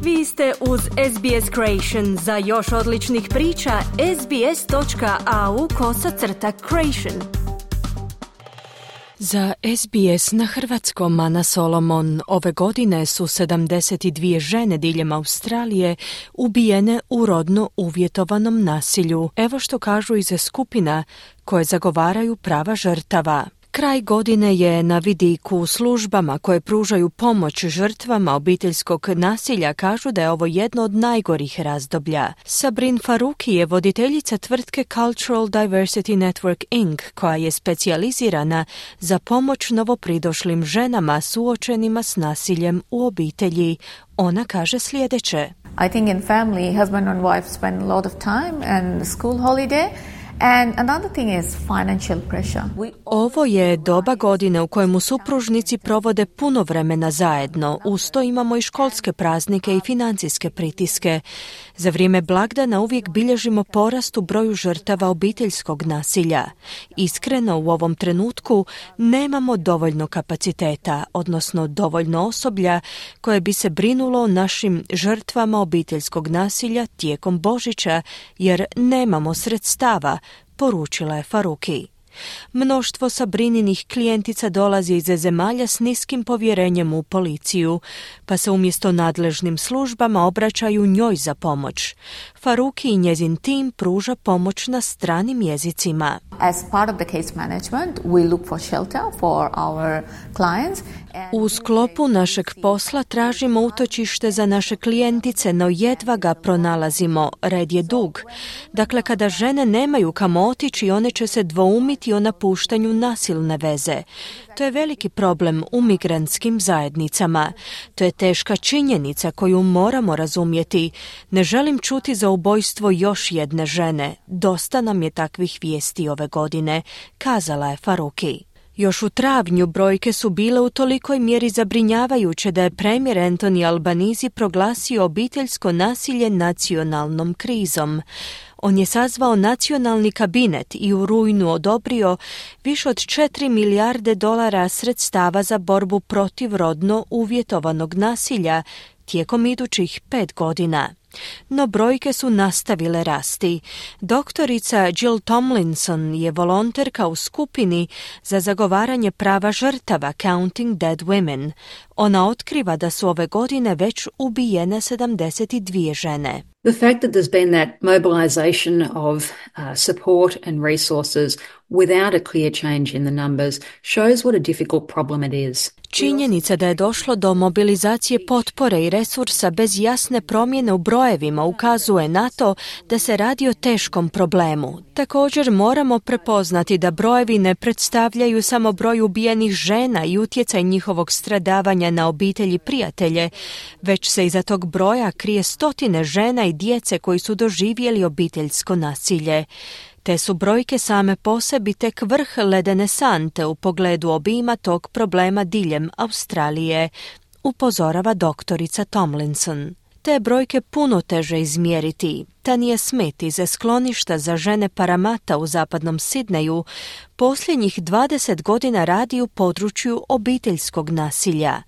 Vi ste uz SBS Creation. Za još odličnih priča, sbs.au/creation. Za SBS na hrvatskom Ana Solomon. Ove godine su 72 žene diljem Australije ubijene u rodno uvjetovanom nasilju. Evo što kažu iz skupina koje zagovaraju prava žrtava. Kraj godine je na vidiku. Službama koje pružaju pomoć žrtvama obiteljskog nasilja kažu da je ovo jedno od najgorih razdoblja. Sabrin Faruki je voditeljica tvrtke Cultural Diversity Network Inc. koja je specijalizirana za pomoć novopridošlim ženama suočenima s nasiljem u obitelji. Ona kaže sljedeće. I think in family, husband and wife spend a lot of time and school holiday. And another thing is financial pressure. Ovo je doba godine u kojemu supružnici provode puno vremena zajedno. Uz to imamo i školske praznike i financijske pritiske. Za vrijeme blagdana uvijek bilježimo porast u broju žrtava obiteljskog nasilja. Iskreno, u ovom trenutku nemamo dovoljno kapaciteta, odnosno dovoljno osoblja koje bi se brinulo o našim žrtvama obiteljskog nasilja tijekom Božića, jer nemamo sredstava, poručila je Faruki. Mnoštvo Sabrininih klijentica dolazi iz zemalja s niskim povjerenjem u policiju, pa se umjesto nadležnim službama obraćaju njoj za pomoć. Faruki i njezin tim pruža pomoć na stranim jezicima. As part of the case management, we look for shelter for our clients. U sklopu našeg posla tražimo utočište za naše klijentice, no jedva ga pronalazimo. Red je dug. Dakle, kada žene nemaju kamo otići, one će se dvoumiti o napuštanju nasilne veze. To je veliki problem u migrantskim zajednicama. To je teška činjenica koju moramo razumjeti. Ne želim čuti za ubojstvo još jedne žene. Dosta nam je takvih vijesti ove godine, kazala je Faruki. Još u travnju brojke su bile u tolikoj mjeri zabrinjavajuće da je premijer Anthony Albanese proglasio obiteljsko nasilje nacionalnom krizom. On je sazvao nacionalni kabinet i u rujnu odobrio više od 4 milijarde dolara sredstava za borbu protiv rodno uvjetovanog nasilja tijekom idućih 5 godina. No brojke su nastavile rasti. Doktorica Jill Tomlinson je volonterka u skupini za zagovaranje prava žrtava Counting Dead Women. Ona otkriva da su ove godine već ubijene 72 žene. The fact that there's been that mobilization of support and resources without a clear change in the numbers shows what a difficult problem it is. Činjenica da je došlo do mobilizacije potpore i resursa bez jasne promjene u brojevima ukazuje na to da se radi o teškom problemu. Također moramo prepoznati da brojevi ne predstavljaju samo broj ubijenih žena i utjecaj njihovog stradavanja na obitelji i prijatelje, već se iza tog broja krije stotine žena i djece koji su doživjeli obiteljsko nasilje. Te su brojke same po sebi tek vrh ledene sante u pogledu obima tog problema diljem Australije, upozorava doktorica Tomlinson. Te brojke puno teže izmjeriti. Tanja Smith iz skloništa za žene Paramata u zapadnom Sidneju posljednjih 20 godina radi u području obiteljskog nasilja.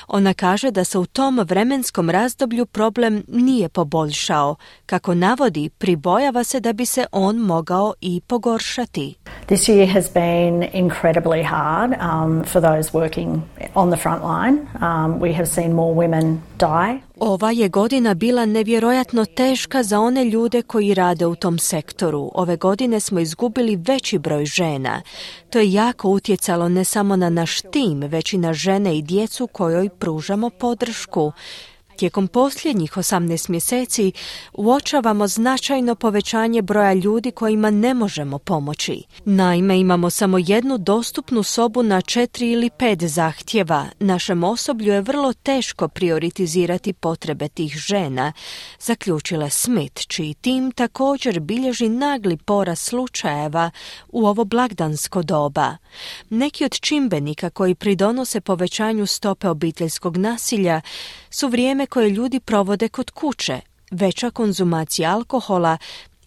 Ona kaže da se u tom vremenskom razdoblju problem nije poboljšao. Kako navodi, pribojava se da bi se on mogao i pogoršati. This year has been incredibly hard for those working on the front line. We have seen more women die. Ova je godina bila nevjerojatno teška za one ljude koji rade u tom sektoru. Ove godine smo izgubili veći broj žena. To je jako utjecalo ne samo na naš tim, već i na žene i djecu kojoj pružamo podršku. Tijekom posljednjih 18 mjeseci uočavamo značajno povećanje broja ljudi kojima ne možemo pomoći. Naime, imamo samo jednu dostupnu sobu na 4 ili 5 zahtjeva. Našem osoblju je vrlo teško prioritizirati potrebe tih žena, zaključila Smith, čiji tim također bilježi nagli porast slučajeva u ovo blagdansko doba. Neki od čimbenika koji pridonose povećanju stope obiteljskog nasilja su vrijeme koje ljudi provode kod kuće, veća konzumacija alkohola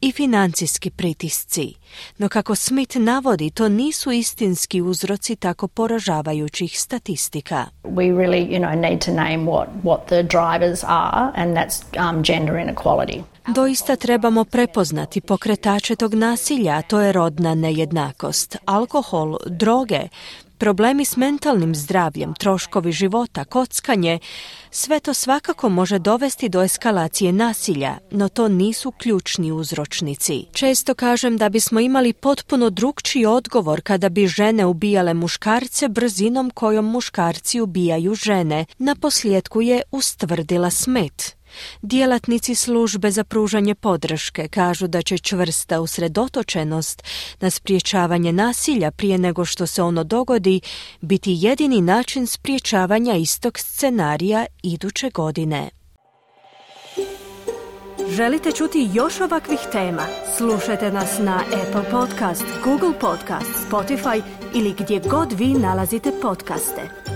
i financijski pritisci. No kako Smith navodi, to nisu istinski uzroci tako poražavajućih statistika. We really, need to name what the drivers are, and that's gender inequality. Doista trebamo prepoznati pokretače tog nasilja, a to je rodna nejednakost, alkohol, droge, problemi s mentalnim zdravljem, troškovi života, kockanje, sve to svakako može dovesti do eskalacije nasilja, no to nisu ključni uzročnici. Često kažem da bismo imali potpuno drukčiji odgovor kada bi žene ubijale muškarce brzinom kojom muškarci ubijaju žene, naposljetku je ustvrdila Smith. Djelatnici službe za pružanje podrške kažu da će čvrsta usredotočenost na sprječavanje nasilja prije nego što se ono dogodi biti jedini način sprječavanja istog scenarija iduće godine. Želite čuti još ovakvih tema? Slušajte nas na Apple Podcast, Google Podcast, Spotify ili gdje god vi nalazite podcaste.